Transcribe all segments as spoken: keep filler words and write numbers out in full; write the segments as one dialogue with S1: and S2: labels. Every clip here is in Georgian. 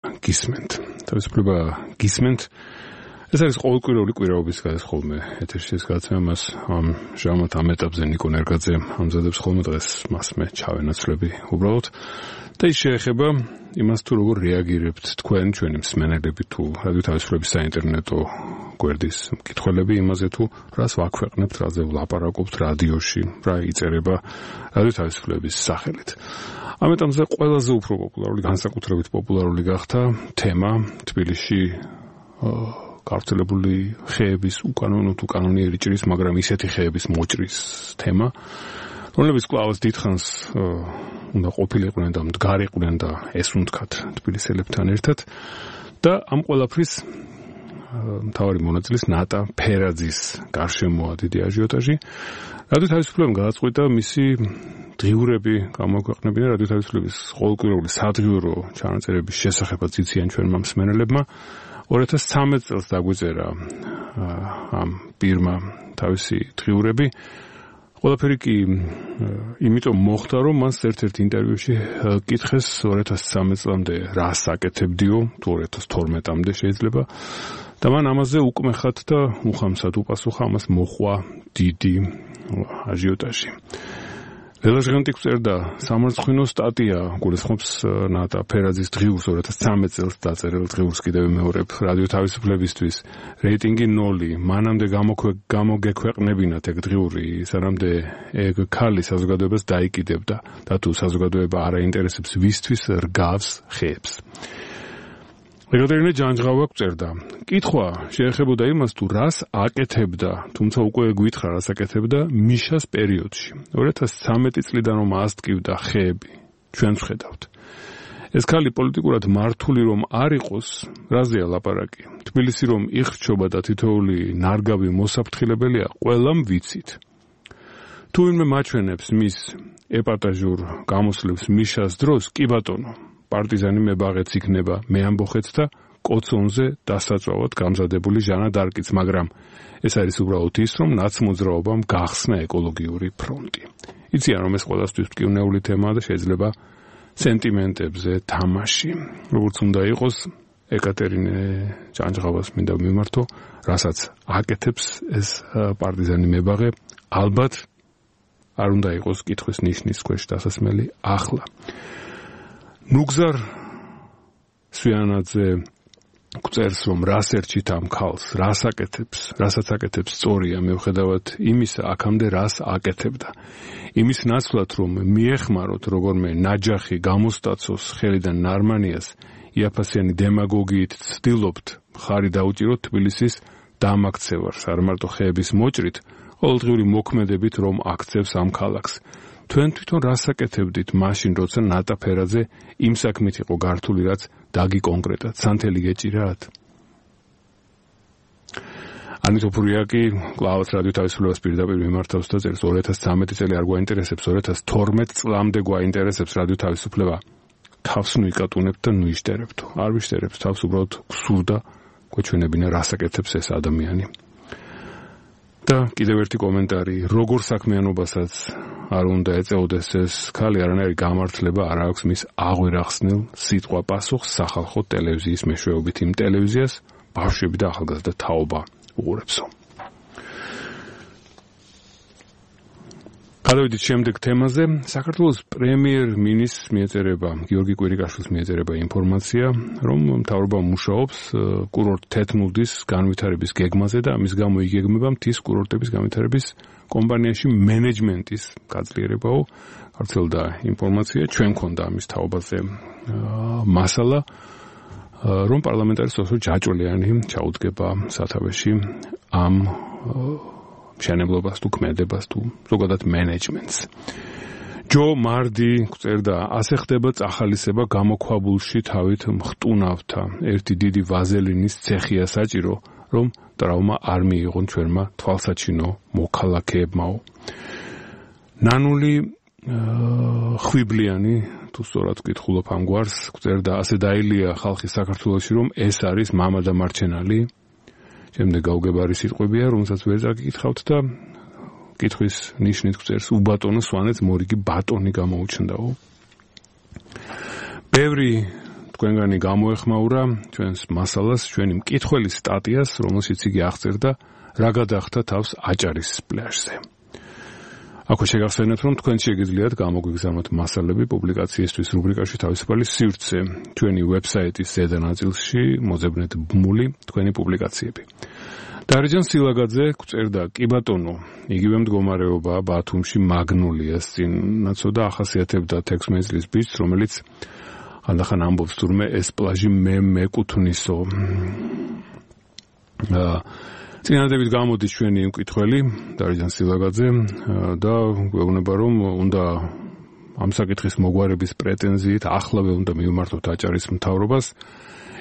S1: გისმენთ. თავისუფლება გისმენთ. ეს არის ყოველკვირეული კვირაობის გადასხოლმე ეთერში ეს გადაცემა მას ამ ჟამოთ ამ ეტაპზე ნიკო ნერგაძე ამზადებს ხოლმე დღეს მას მე ჩავენაცვლები უბრალოდ და ის შეეხება იმას თუ როგორ რეაგირებთ თქვენ ჩვენი მსმენელები თუ რადიო თავისუფლების საინტერნეტო გვერდის მკითხველები იმაზე თუ რას ვაქვეყნებთ, რაზე ვლაპარაკობთ რადიოში, რა იწერება რადიო თავისუფლების სახელით. ამ ეტაპზე ყველაზე უფრო პოპულარული, განსაკუთრებით პოპულარული გახდა თემა თბილისში გავრცელებული ხეების უკანონო თუ კანონიერი ჭრის, მაგრამ ისეთი ხეების მოჭრის თემა, რომლებიც კვლავაც დიდხანს უნდა ყოფილიყვნენ და მდგარიყვნენ და ესუნთქათ თბილისელებთან ერთად და ამ ყველაფრის მთავარი მონაწილის ნატა ფერაძის გარშემოა დიდი აჟიოტაჟი. რადიო თავისუფლებამ გადაწყვიტა მისი დღიურები გამოქვეყნებინა რადიო თავისუფლების ყოველკვირეული სადღიურო ჩანაწერების შესახებაც იციან ჩვენმა მსმენელებმა. ორი ათას ცხრამეტ წელს დაგვიწერა ამ პირმა თავისი დღიურები. ყველაფერი კი იმიტომ მოხდა, რომ მას ერთ-ერთ ინტერვიუში კითხეს ორი ათას ცხრამეტ წლამდე რას აკეთებდიო, თუ ორი ათას თორმეტამდე შეიძლება და მან ამაზე უკმეხად და უხამსად უპასუხა, ამას მოჰყვა დიდი აჟიოტაჟი. ველაჟღანტი გვწერდა სამარცხვინო სტატია გულისხმობს ნატა ფერაძის დღიურს ორი ათას ცხრამეტ წელს დაწერილ დღიურს კიდევ მეორებ რადიო თავისუფლებისთვის რეიტინგი ნოლი მანამდე გამოგექვეყნებინათ ეგ დღიური სანამდე ეგ ქალი საზოგადოებას დაიკიდებდა და თუ საზოგადოება არ აინტერესებს ვისთვის რგავს ხეებს. ეკატერინე ჯანჯღავა გვწერდა კითხვა შეეხებოდა იმას თუ რას აკეთებდა, თუმცა უკვე გვითხრა რას აკეთებდა მიშას პერიოდში. ორი ათას ცხრამეტი წლიდან რომ ასტკივდა ხეები, ჩვენც ვხედავთ. ეს ქალი პოლიტიკურად მართული რომ არ იყოს, რაზეა ლაპარაკი? თბილისი რომ იხრჩობა და თითოეული ნარგავი მოსაფრთხილებელია, ყველამ ვიცით. თუ ვინმე მაჩვენებს მის ეპატაჟურ გამოსვლებს მიშას დროს, კი ბატონო, პარტიზანი მებაღეც იქნება მე ამბოხეც და კოცონზე დასაწვავად გამზადებული ჟანა დარკიც, მაგრამ ეს არის უბრალოდ ის, რომ ნაცმოძრაობამ გახსნა ეკოლოგიური ფრონტი. იციან, რომ ეს ყველასთვის მტკივნეული თემაა და შეიძლება სენტიმენტებზე თამაში. როგორც უნდა იყოს, ეკატერინე ჯანჯღავას მინდა მიმართო, რასაც აკეთებს ეს პარტიზანი მებაღე, ალბათ არ უნდა იყოს კითხვის ნიშნის ქვეშ დასასმელი ახლა. ნუგზარ სვიანაძე გვწერს, რომ რას ერჩით ამ ქალს, რას აკეთებს, რასაც აკეთებს სწორია, მევხედავად იმისა, აქამდე რას აკეთებდა. იმის ნაცვლად, რომ მიეხმაროთ როგორმე ნაჯახი გამოსტაცოს ხელიდან ნარმანიას, იაფასიანი დემაგოგიით ცდილობთ მხარი დაუჭიროთ თბილისის დამაქცევარს, არ მარტო ხეების მოჭრით, ყოველდღიური მოქმედებით, რომ აქცევს ამ ქალაქს. თქვენ თვითონ რას აკეთებდით მაშინ, როცა ნატა ფერაძე იმ საქმით იყო გართული, რაც დაგიკონკრეტად, სანთელი გეჭირათ? ანიტო ფურიაკი კვლავაც რადიო თავისუფლებას პირდაპირ მიმართავს და წერს ორი ათას ცხრამეტი წელი არ გვაინტერესებს, ორი ათას თორმეტ წლამდე გვაინტერესებს რადიო თავისუფლება. თავს ნუ იკატუნებთ და ნუ იშტერებთ. არ ვიშტერებთ, თავს უბრალოდ გსურდა გვეჩვენებინა რას აკეთებს ეს ადამიანი. და კიდევ ერთი კომენტარი, როგორ საქმიანობასაც არ უნდა ეწეოდეს ეს ქალი, არანაირი გამართლება არ აქვს მის აღვირახსნილ სიტყვა პასუხს სახალხო ტელევიზიის მეშვეობით იმ ტელევიზიას ბავშვები და ახალგაზრდა თაობა უყურებსო. გადავიდით შემდეგ თემაზე. საქართველოს პრემიერ-მინისტრს მიეწერება, გიორგი კვირიკაშვილს მიეწერება ინფორმაცია, რომ მთავრობა მუშაობს კურორტ თეთმუდის განვითარების გეგმაზე და ამის გამო იგეგმება მთის კურორტების განვითარების კომპანიაში მენეჯმენტის გაძლიერებაო. გავრცელდა ინფორმაცია, ჩვენ მქონდა ამის თაობაზე მასალა, რომ პარლამენტარის ოსო ჯაჭვლიანი ჩაუდგება სათავეში ამ მშენებლობას თუ ქმედებას თუ ზოგადად მენეჯმენტს. ჯო მარდი გვწერდა, ასე ხდება წახალისება გამოქვაბულში თავით მხტუნავთა. ერთი დიდი ვაზელინის ცეხია საჭირო, რომ ტრავმა არ მიიღონ ჩვენმა თვალსაჩინო მოქალაქეებმაო. ნანული ხვიბლიანი, თუ სწორად ვკითხულობ ამ გვარს, გვწერდა, ასე დაილია ხალხი საქართველოში, რომ ეს არის მამა და მარჩენალი. შემდეგ გაუგებარი სიტყვებია, რომელსაც ვერ წაგიკითხავთ და კითხვის ნიშნით გვწერს, უბატონო სვანეთს მორიგი ბატონი გამოუჩნდაო. ბევრი თქვენგანი გამოეხმაურა ჩვენს მასალას, ჩვენი მკითხველის სტატიას, რომელშიც იგი აღწერდა, რა გადახდა თავს აჭარის პლაჟზე. Ако შეგახსენებთ, რომ თქვენ შეგიძლიათ გამოგვიგზავნოთ მასალები პუბლიკაციისთვის რუბრიკაში თავისუფალი სივრცე, ჩვენი ვებსაიტის ზედა ნაწილში მოძებნეთ ბმული თქვენი პუბლიკაციები. დარეჯან სილაგაძე გვწერდა, კი ბატონო, იგივე მდგომარეობა ბათუმში მაგნოლიას წინაცო და ახასიათებდა თექვსმეტ წლის ბიჭს, რომელიც ხანდახან ამბობს თურმე ეს პლაჟი მე მეკუთვნისო. წინადებით გამოდის ჩვენი მკითხველი დარეჯან სილაგაძე და გვეუბნება, რომ უნდა ამ საკითხის მოგვარების პრეტენზიით ახლავე უნდა მივმართოთ აჭარის მთავრობას,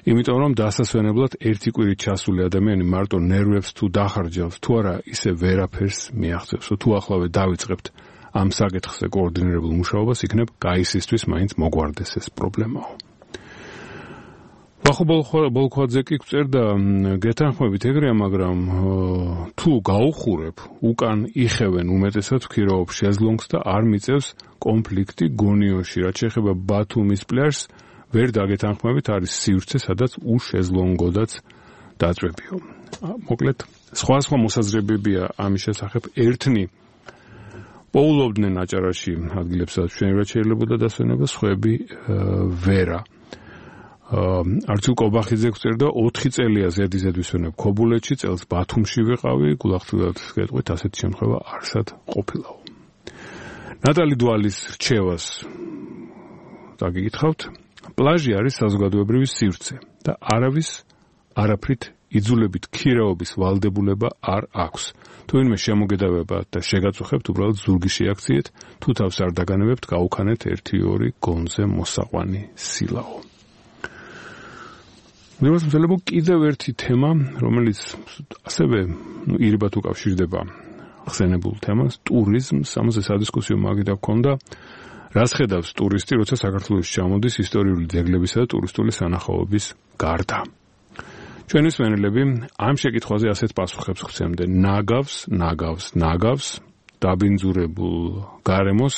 S1: იმიტომ რომ დასასვენებლად ერთი კვირით ჩასული ადამიანი მარტო ნერვებს თუ დახარჯავს, თუ არა ისე ვერაფერს მიაღწევს. თუ ახლავე დავიწყებთ ამ საკითხზე კოორდინირებულ მუშაობას, იქნებ გაისისთვის მაინც მოგვარდეს ეს პრობლემაო. ვახო ბოლქვაძე კი გვწერდა, გეთანხმებით ეგრეა, მაგრამ თუ გაუხურებ, უკან იხევენ უმეტესად ვქირავობ შეზლონგს და არ მიწევს კონფლიქტი გონიოში, რაც შეეხება ბათუმის პლაჟს, ვერ დაგეთანხმებით, არის სივრცე, სადაც უშეზლონგოდაც დაწვებიო. მოკლედ, სხვა სხვა მოსაზრებებია ამის შესახებ. ერთნი პოულობდნენ აჭარაში ადგილებს, სადაც მშვენივრად შეიძლებოდა დასვენება, სხვები ვერა. არჩილ კობახიძე გვწერდა, ოთხი წელია ზედიზედ ვისვენებ ქობულეთში, წელს ბათუმში ვიყავი, გულახდილად გეტყვით, ასეთი შემთხვევა არსად ყოფილაო. ნატალი დვალის რჩევას დაგიკითხავთ. პლაჟი არის საზოგადოებრივი სივრცე და არავის არაფრით იძულებით ქირაობის ვალდებულება არ აქვს. თუ ვინმე შემოგედავებათ და შეგაწუხებთ, უბრალოდ ზურგი შეაქციეთ, თუ თავს არ დაგანებებთ, გაუქანეთ ერთი ორი გონზე მოსაყვანი სილაო. მეგობრებო, კიდევ ერთი თემა, რომელიც ასევე ირიბად უკავშირდება ხსენებულ თემას, ტურიზმს, ამაზე სადისკუსიო მაგიდა გქონდა. რას ხედავს ტურისტი, როცა საქართველოში ჩამოდის ისტორიული ძეგლებისა და ტურისტული სანახაობის გარდა? ჩვენი მსმენელები ამ შეკითხვაზე ასეთ პასუხებს ხვცემდნენ. ნაგავს, ნაგავს, ნაგავს, დაბინძურებულ გარემოს,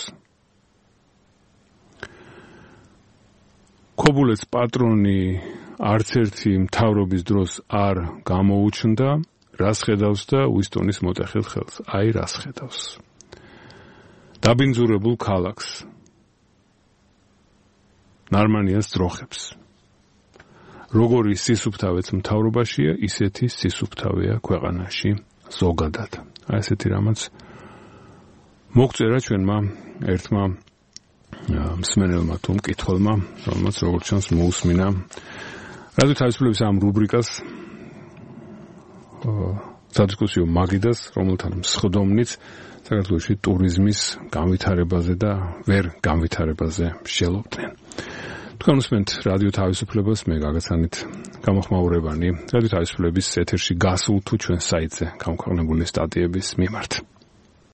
S1: ქობულეთს პატრონი არც ერთი მთავრობის დროს არ გამოუჩნდა, რას ხედავს და უისტონის მოტეხილ ხელს? აი, რას ხედავს? დაბინძურებულ ქალაქს, ნარმანიას ძროხებს. როგორი სისუფთავეც მთავრობაშია, ისეთი სისუფთავეა ქვეყანაში ზოგადად. აი ესეთი რამაც მოგწერა ჩვენმა ერთმა მსმენელმა თუ მკითხველმა, რომელმაც როგორც ჩანს მოусმინა რადიო თავისუფლების ამ რუბრიკას სადისკუსიო მაგიდას, რომელთან მსხდომნიც საქართველოში ტურიზმის განვითარებაზე და ვერ განვითარებაზე შევლობდნენ. თქვენ უსმენთ რადიო თავისუფლებას, მე გაგაცანით გამოხმაურებანი რადიო თავისუფლების ეთერში გასულ თუ ჩვენ საიტზე გამქვეყნებული სტატიების მიმართ.